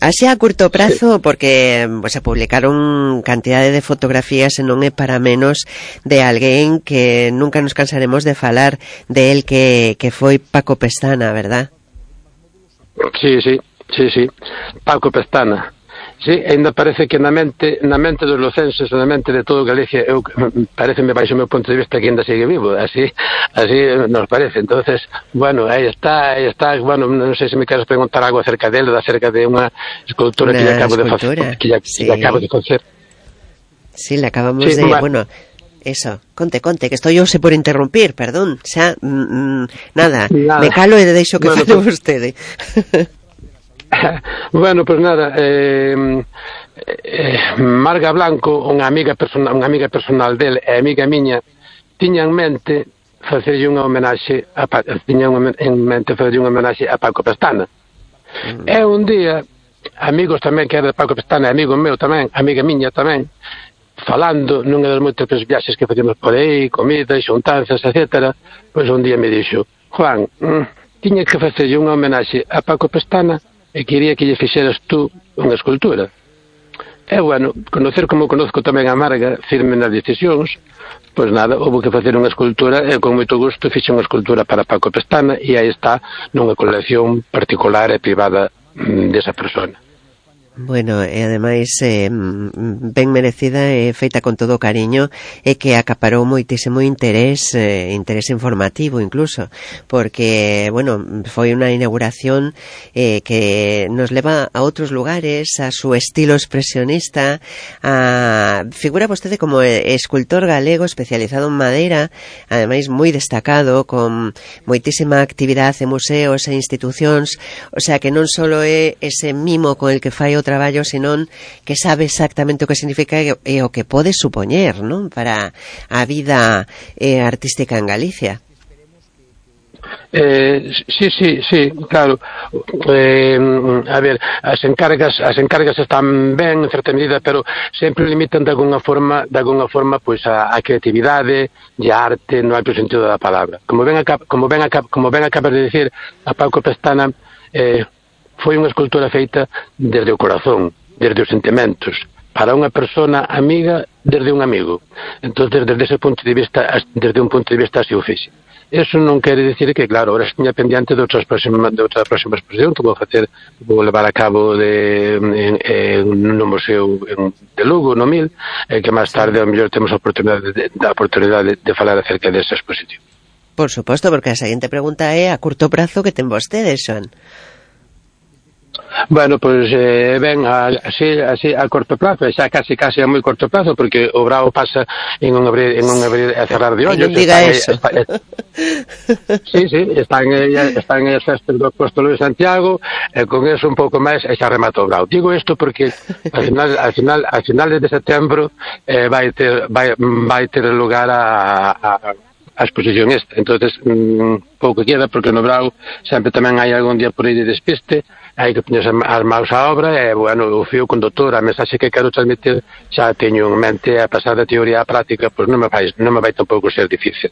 Así a curto prazo, porque se publicaron cantidade de fotografías e non é para menos de alguén que nunca nos cansaremos de falar de él, que foi Paco Pestana, verdad? Sí, Paco Pestana. Sí, ainda parece que na mente dos lucenses, na mente de todo Galicia, pareceme baixo o meu punto de vista que ainda sigue vivo, así nos parece. Entonces, bueno, aí está, bueno, non sei se me queres preguntar algo acerca dele, acerca de unha escultura que lle acabo de facer, que acabo de facer. Sí, le acabamos de, bueno, eso, conte, que estou yo por interrumpir, perdón, xa, nada, me calo e deixo que fale vostede. Bueno, pues nada, Marga Blanco, unha amiga personal del e amiga miña, tiña en mente facerlle unha homenaxe a Paco Pestana. E un día, amigos tamén que era de Paco Pestana, amigo meu tamén, amiga miña tamén, falando nunha das moitas viaxes que facíamos por aí, comidas, xuntanzas, etcétera, pois un día me dixo: Juan, tiña que facerlle unha homenaxe a Paco Pestana e quería que lle fixeras tú unha escultura. E, bueno, conocer como conozco tamén a Marga, firme nas decisións, pois nada, houve que facer unha escultura e con moito gusto fixe unha escultura para Paco Pestana e aí está nunha colección particular e privada desa persona. Bueno, e ademais ben merecida e feita con todo o cariño e que acaparou moitísimo interés informativo incluso, porque, bueno, foi unha inauguración que nos leva a outros lugares, a su estilo expresionista, figura vostede como escultor galego especializado en madeira, ademais moi destacado, con moitísima actividade en museos e institucións, o sea que non só é ese mimo con el que fai o traballo, senón que sabe exactamente o que significa e o que pode supoñer, non, para a vida artística en Galicia. Sí, claro. A ver, as encargas están ben en certa medida, pero sempre limitan de alguna forma pois a creatividade e a arte no amplo sentido da palabra. Como ben acabas de decir, a Paco Pestana foi unha escultura feita desde o corazón, desde os sentimentos, para unha persona amiga desde un amigo. Entón, desde ese punto de vista, desde un punto de vista así o fixe. Eso non quere dicir que, claro, ahora estiña pendiente de outra próxima exposición que vou levar a cabo no Museo de Lugo, no Mil, que máis tarde, ao mellor, temos a oportunidade de falar acerca desa exposición. Por suposto, porque a seguinte pregunta é a curto prazo que ten vostede, Xoan. Bueno, pois ben, así a corto plazo, xa casi a moi corto plazo, porque o brao pasa en un abrir e cerrar de ollos. Non diga eso. Sí, están as festas do Apóstolo de Santiago, e con eso un pouco máis e xa remata o brao. Digo isto porque a finales de setembro vai ter lugar a exposición esta. Entonces, pouco queda, porque no brao sempre tamén hai algún día por aí de despiste, hai que poñerse as maus á obra e, bueno, o fío conductor, a mensaxe que quero transmitir xa teño en mente, a pasar da teoría á práctica, pois non me vai tampouco ser difícil.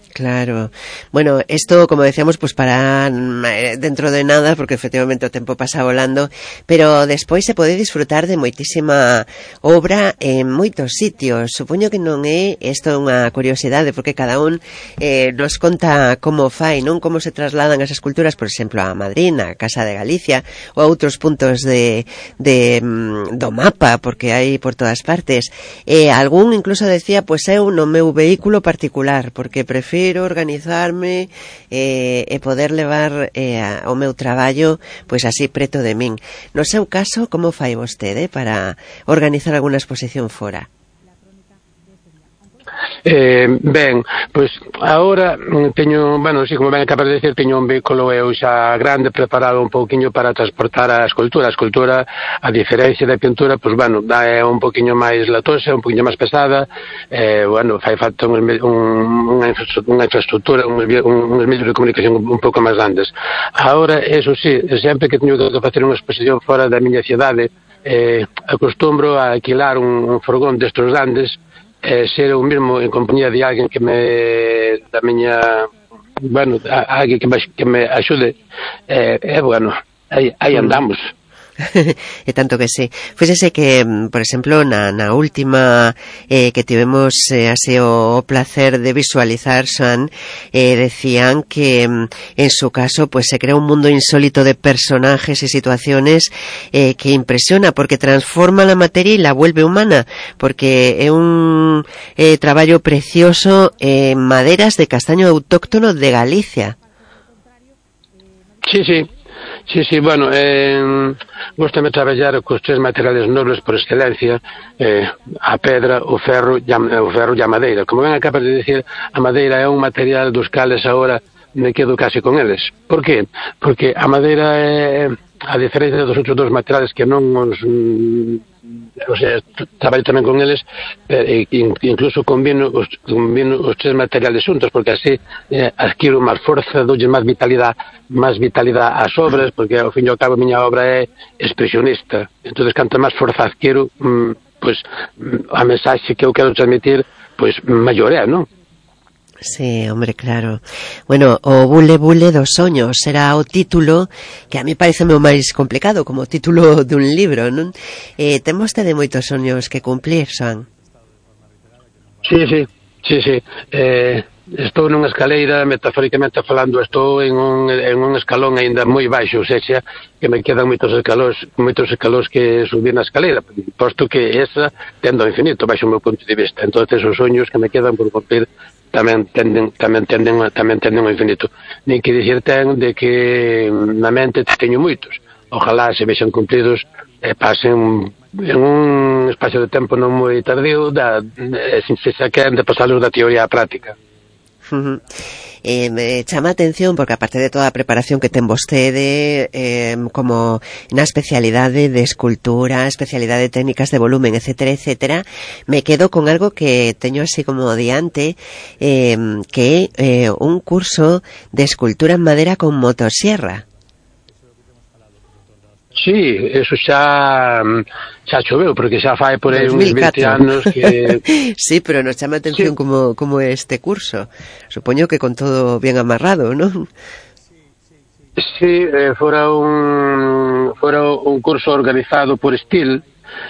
Claro. Bueno, esto, como decíamos, pues para dentro de nada, porque efectivamente o tempo pasa volando, pero despois se pode disfrutar de moitísima obra en moitos sitios. Supoño que non é isto unha curiosidade, porque cada un nos conta como fai, non, como se trasladan as esculturas, por exemplo, a Madrid, a Casa de Galicia, ou a outros puntos do mapa, porque hai por todas partes. Algún incluso decía, pues eu no meu vehículo particular, porque prefiro organizarme e poder levar o meu traballo pois así preto de min. No seu caso, como fai vostede para organizar alguna exposición fora? Ben, pois agora teño, bueno, así como ben acabas de decir, teño un vehículo eu xa grande preparado un pouquiño para transportar a escultura. A escultura, a diferencia da pintura, pois, bueno, é un pouquiño máis latosa, un pouquiño máis pesada, bueno, fai falta unha infraestructura, uns medios de comunicación un pouco máis grandes. Agora, eso sí, sempre que teño que facer unha exposición fora da miña cidade, acostumbro a alquilar un furgón destes grandes, ser eu mesmo en compañía de alguén que da miña bueno, alguén que me axude, bueno, aí andamos. E tanto que sí. Fíxese que, por exemplo, na última que tivemos así o placer de visualizar, Xoan, decían que en su caso pues se crea un mundo insólito de personajes y situaciones que impresiona, porque transforma la materia y la vuelve humana, porque é un traballo precioso en maderas de castaño autóctono de Galicia. Sí, bueno, gostame traballar cos tres materiales nobles por excelencia, a pedra, o ferro e a madeira. Como ben acabas de dicir, a madeira é un material dos cales agora me quedo casi con eles. Por qué? Porque a madeira é, a diferencia dos outros dos materiales que non os... o sea, traballo tamén con eles, incluso combino os tres materiales xuntos, porque así adquiro máis forza, doulle máis vitalidade ás obras, porque ao fin e ao cabo a miña obra é expresionista. Entonces, canto máis forza adquiro, pois a mensaxe que eu quero transmitir, pois maior é, non? Sí, hombre, claro. Bueno, o Bule Bule dos soños será o título que a mí parece o máis complicado como título dun libro, non? Ten vostede moitos soños que cumplir, Xoan? Sí. Estou nunha escaleira, metafóricamente falando, estou en un escalón aínda moi baixo, ou seja, que me quedan moitos escalóns que subir na escaleira, posto que esa tendo ao infinito, baixo o meu punto de vista. Entonces, os soños que me quedan por cumplir tamén tenden ao infinito. Nin que dicir ten de que na mente teño moitos. Ojalá se vexan cumplidos e pasen en un espacio de tempo non moi tardío se saquen de pasalos da teoría á práctica. Me chama a atención porque aparte de toda a preparación que ten vostede como na especialidade de escultura, especialidade de técnicas de volumen, etcétera, me quedo con algo que teño así como diante, que é un curso de escultura en madera con motosierra. Sí, eso xa choveu, porque xa fai por aí uns 20 anos que... Sí, pero nos chama a atención como é este curso. Supoño que con todo bien amarrado, ¿no? Sí, fora un curso organizado por Estil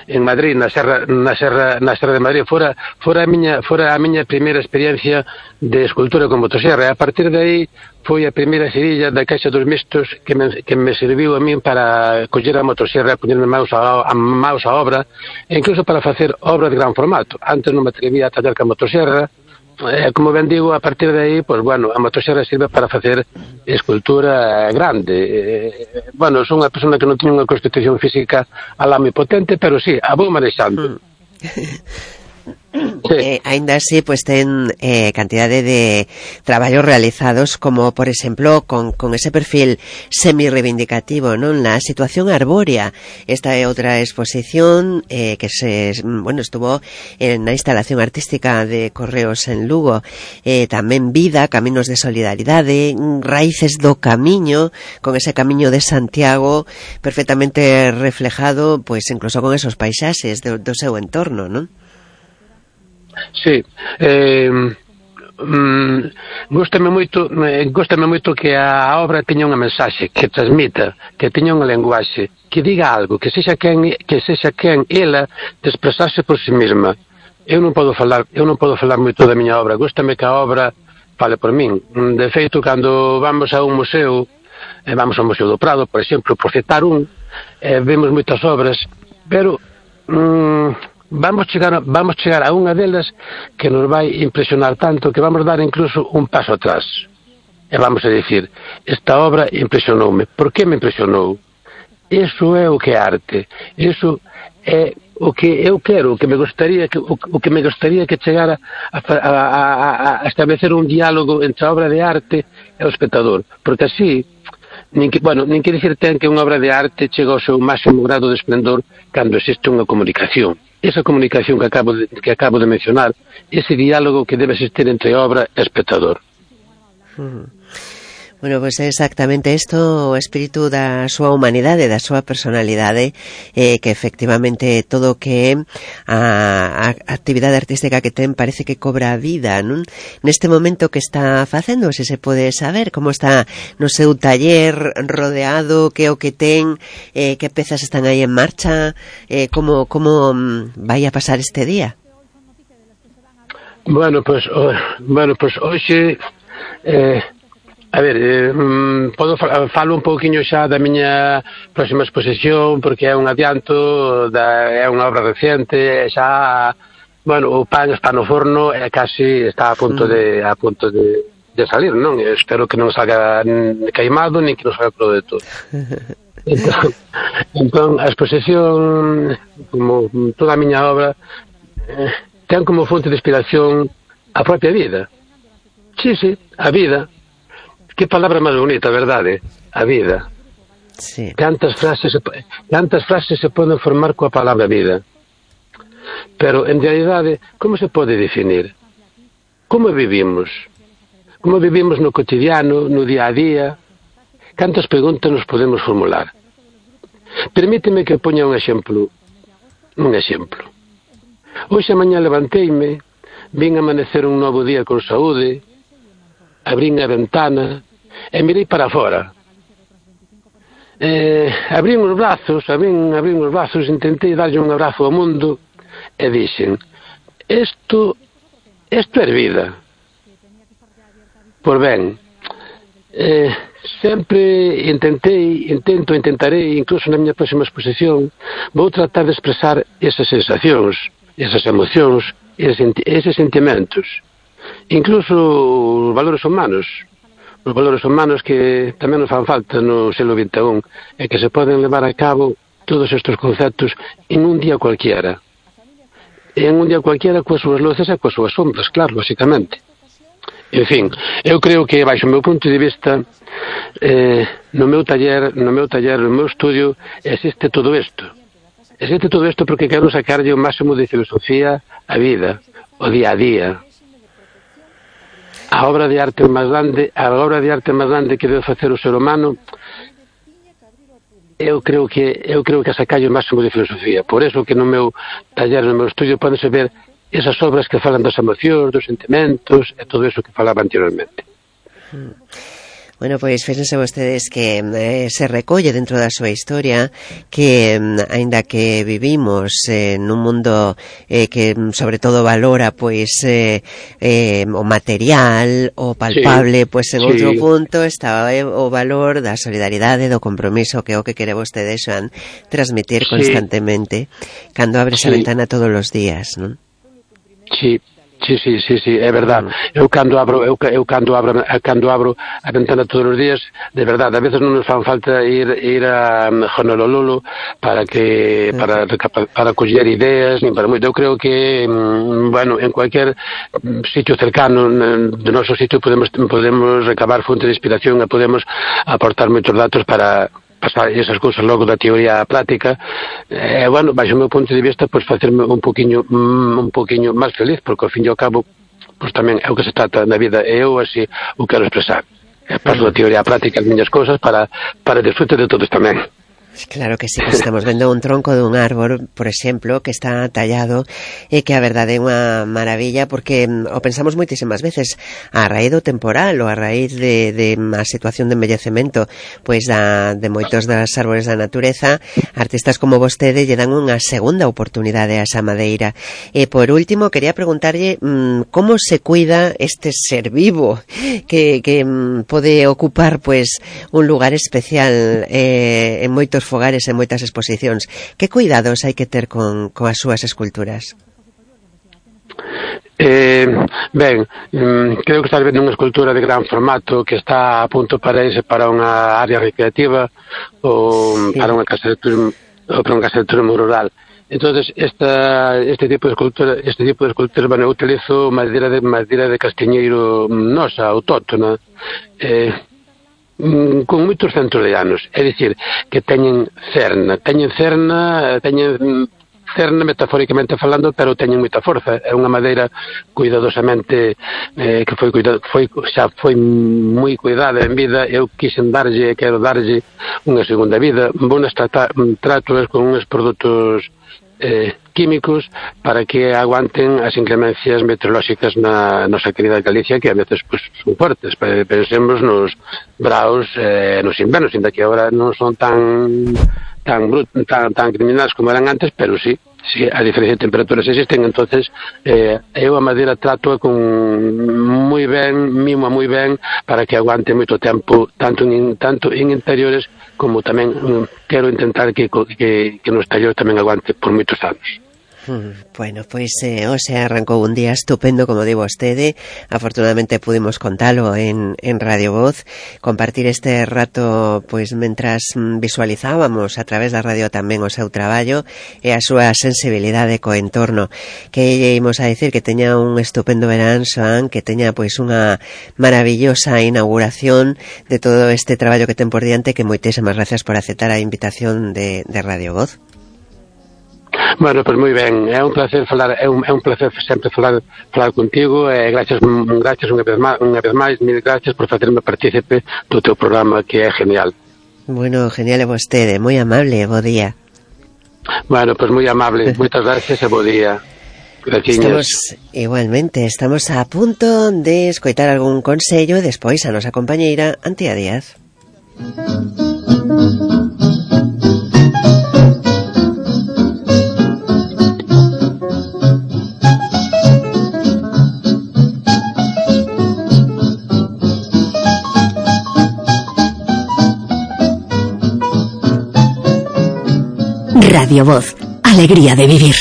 en Madrid, na Serra de Madrid. Fora a miña primeira experiencia de escultura con motosierra. A partir de aí foi a primeira cerilla da Caixa dos Mistos que me serviu a min para coller a motosierra, ponerme maus a obra, e incluso para facer obra de gran formato. Antes non me atrevía a tallar ca motosierra. Como ben digo, a partir de aí, pues bueno, a motosierra sirve para facer escultura grande. Bueno, son unha persona que non tiña unha constitución física alá moi potente, pero sí, a vou manexando. Sí. Ainda así, pues ten cantidade de traballos realizados, como por exemplo con ese perfil semi-reivindicativo, non? La situación arbórea. Esta é outra exposición que estuvo na instalación artística de Correos en Lugo. Tamén Vida, Caminos de Solidaridade, Raíces do Camiño, con ese camiño de Santiago perfectamente reflejado, pues incluso con esos paisaxes do seu entorno, non? Sí, góstame moito que a obra teña unha mensaxe, que transmita, que teña unha lenguaxe, que diga algo, que sexa quen ela de expresarse por si mesma. Eu non podo falar moito da miña obra, góstame que a obra fale por min. De feito, cando vamos a un museo, vamos ao Museo do Prado, por exemplo, por citar vemos moitas obras, pero vamos chegar a unha delas que nos vai impresionar tanto que vamos dar incluso un paso atrás e vamos a dicir, esta obra impresionoume. Por que me impresionou? Iso é o que é arte, iso é o que eu quero, o que me gostaría que chegara a establecer un diálogo entre a obra de arte e o espectador, porque así nin que dicir ten que unha obra de arte chega ao seu máximo grado de esplendor cando existe unha comunicación. Esa comunicación que acabo de mencionar, ese diálogo que debe existir entre obra e espectador. Bueno, pois é exactamente isto, o espírito da súa humanidade, da súa personalidade, que efectivamente todo o que é a actividade artística que ten parece que cobra vida, non? Neste momento que está facendo, se pode saber como está no seu taller rodeado, que é o que ten, que pezas están aí en marcha, como vai a pasar este día? Bueno, pois hoxe a ver, falo un pouquiño xa da miña próxima exposición, porque é un adianto, é unha obra reciente, xa, bueno, o pan está no forno e casi está a punto de salir, non? Espero que non salga queimado, nin que non salga crudo de todo. Entón, a exposición, como toda a miña obra, ten como fonte de inspiración a propia vida. Sí, a vida. Que palabra máis bonita, verdade? A vida. Sí. Cantas frases se poden formar coa palabra vida. Pero, en realidade, como se pode definir? Como vivimos? Como vivimos no cotidiano, no día a día? Cantas preguntas nos podemos formular? Permíteme que poña un exemplo. Hoxe a mañá levanteime, vin amanecer un novo día con saúde, abrín a ventana e mirei para fora. Abrín os brazos, intentei darlle un abrazo ao mundo e dixen, isto é vida. Por ben, sempre intentarei, incluso na miña próxima exposición, vou tratar de expresar esas sensacións, esas emocións, eses sentimentos, incluso os valores humanos que tamén nos fan falta no século XXI, e que se poden levar a cabo todos estes conceptos en un día cualquiera. Coas súas luces e coas súas sombras, claro, basicamente. En fin, eu creo que, baixo o meu punto de vista, no meu taller, no meu estudio, existe todo isto. Porque quero sacarlle o máximo de filosofía á vida, o día a día. A obra de arte máis grande que debe facer o ser humano, eu creo que sacalle o máximo de filosofía. Por eso que no meu taller, no meu estudio, podense ver esas obras que falan das emocións, dos sentimentos e todo eso que falaba anteriormente. Bueno, pois fíjense vostedes que se recolle dentro da súa historia que, aínda que vivimos nun mundo que sobre todo valora pois o material, o palpable, pois en outro punto está o valor da solidaridade, do compromiso, que é o que quere vostede, Xoán, transmitir constantemente cando abres a ventana todos os días, non? Sí, é verdade. Eu cando abro a ventana todos os días, de verdade, a veces non nos fan falta ir a Honolulu para coller ideas, nin para moito. Eu creo que, bueno, en cualquier sitio cercano do noso sitio podemos recabar fonte de inspiración e podemos aportar moitos datos para pasar esas cousas logo da teoría práctica, bueno, baixo o meu punto de vista, pois facerme un poquinho máis feliz, porque ao fin e ao cabo, pois tamén é o que se trata na vida, e eu así o quero expresar. Paso da teoría práctica as miñas cousas para disfrute de todos tamén. Claro que sí, que estamos vendo un tronco dun árbor, por exemplo, que está tallado e que a verdade é unha maravilla, porque o pensamos moitísimas veces a raíz do temporal ou a raíz de a situación de envellecemento pois de moitos das árbores da natureza. Artistas como vostede lle dan unha segunda oportunidade a esa madeira. E por último, quería preguntarlle como se cuida este ser vivo que pode ocupar pois un lugar especial en moitos fogares e moitas exposicións. Que cuidados hai que ter con as súas esculturas? Ben, creo que estás vendo unha escultura de gran formato que está a punto para irse para unha área recreativa ou para unha casa de turismo rural. Entonces, este tipo de esculturas, bueno, eu utilizo madeira de castiñeiro nosa, autóctona, con moitos centos de anos, é dicir, que teñen cerna, teñen cerne metafóricamente falando, pero teñen moita forza. É unha madeira cuidadosamente que foi moi cuidada en vida. Eu quixen darlle, quero darlle unha segunda vida. Vounas tratar con uns produtos químicos para que aguanten as inclemencias meteorolóxicas na nosa querida Galicia, que a veces pues, son fuertes. Pensemos nos braos, nos invernos, ainda que agora non son tan criminais como eran antes, pero sí, a diferencia de temperaturas existen. Entonces eu a madeira trato con moi ben, mimo moi ben, para que aguante moito tempo, tanto en interiores como tamén quero intentar que no exterior tamén aguante por moitos anos. Bueno, pois hoxe arrancou un día estupendo, como di vostede. Afortunadamente pudimos contalo en Radio Voz, compartir este rato pois mentras visualizábamos a través da radio tamén o seu traballo e a súa sensibilidade co entorno. Que ímos a dicir que teña un estupendo verán, Xoán, que teña pois unha maravillosa inauguración de todo este traballo que ten por diante, que moitísimas gracias por aceptar a invitación de Radio Voz. Bueno, pois moi ben, é un placer falar, é un placer sempre falar contigo, e gracias unha vez máis, mil gracias por facerme partícipe do teu programa, que é genial. Bueno, genial é vostede, moi amable, bo día. Bueno, pois moi amable, moitas gracias e bo día. Gracias. Estamos a punto de escoitar algún consello e despois a nosa compañeira Antía Díaz. Radio Voz, alegría de vivir.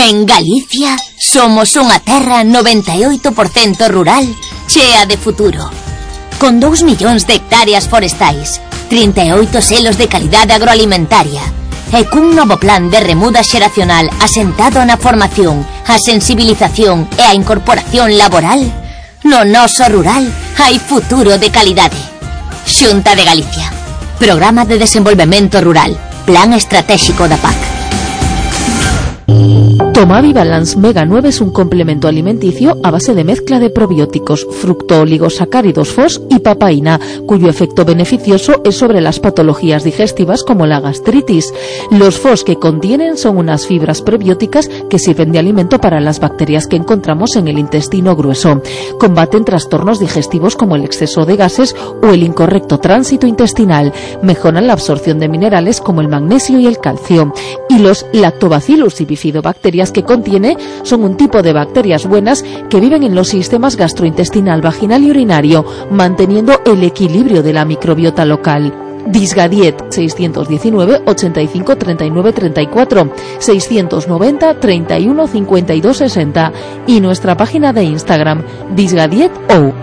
En Galicia somos unha terra 98% rural, chea de futuro. Con 2 millóns de hectáreas forestais, 38 selos de calidade agroalimentaria e cun novo plan de remuda xeracional asentado na formación, a sensibilización e a incorporación laboral, no noso rural hai futuro de calidade. Xunta de Galicia. Programa de Desenvolvemento Rural. Plan Estratégico da PAC. Tomavi Balance Mega 9 es un complemento alimenticio a base de mezcla de probióticos, fructooligosacáridos FOS y papaína, cuyo efecto beneficioso es sobre las patologías digestivas como la gastritis. Los FOS que contienen son unas fibras prebióticas que sirven de alimento para las bacterias que encontramos en el intestino grueso. Combaten trastornos digestivos como el exceso de gases o el incorrecto tránsito intestinal. Mejoran la absorción de minerales como el magnesio y el calcio. Y los lactobacillus y bifidobacterias que contiene son un tipo de bacterias buenas que viven en los sistemas gastrointestinal, vaginal y urinario, manteniendo el equilibrio de la microbiota local. Disgadiet 619 85 39 34 690 31 52 60 y nuestra página de Instagram Disgadiet.ou.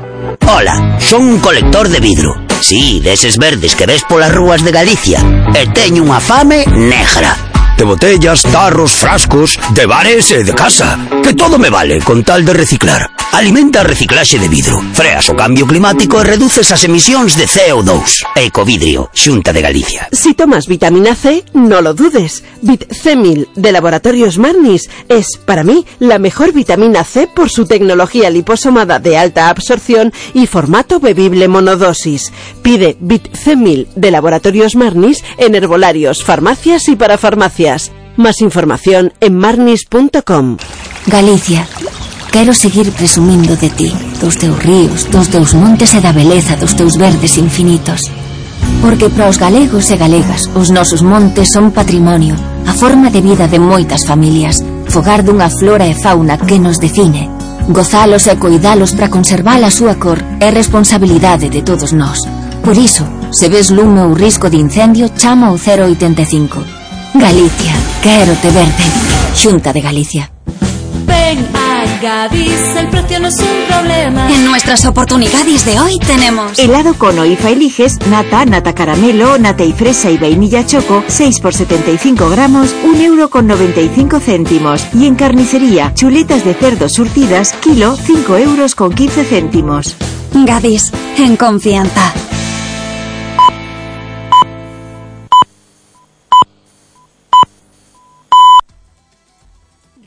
Hola, son un colector de vidro. Sí, deses verdes que ves polas rúas de Galicia. E teño unha fame negra. De botellas, tarros, frascos, de bares e de casa. Que todo me vale con tal de reciclar. Alimenta a reciclaxe de vidro, freas o cambio climático e reduces as emisións de CO2. Ecovidrio, Xunta de Galicia. Si tomas vitamina C, no lo dudes. Vit C1000 de Laboratorios Marnis es, para mí, la mejor vitamina C por su tecnología liposomada de alta absorción y formato bebible monodosis. Pide Vit C1000 de Laboratorios Marnis en herbolarios, farmacias y parafarmacias. Más información en marnis.com. Galicia, quero seguir presumindo de ti, dos teus ríos, dos teus montes e da beleza dos teus verdes infinitos. Porque para os galegos e galegas, os nosos montes son patrimonio, a forma de vida de moitas familias, fogar dunha flora e fauna que nos define. Gozalos e coidalos para conservar a súa cor é responsabilidade de todos nós. Por iso, se ves lume ou risco de incendio, chama o 085. Galicia, quero te verde. Xunta de Galicia. Ven a Gadis, el precio no es un problema. En nuestras oportunidades de hoy tenemos helado con IFA eliges, nata, nata caramelo, nata y fresa y vainilla choco, 6 por 75 gramos, 1,95 €. Y en carnicería, chuletas de cerdo surtidas, kilo, 5,15 €. Gadis, en confianza.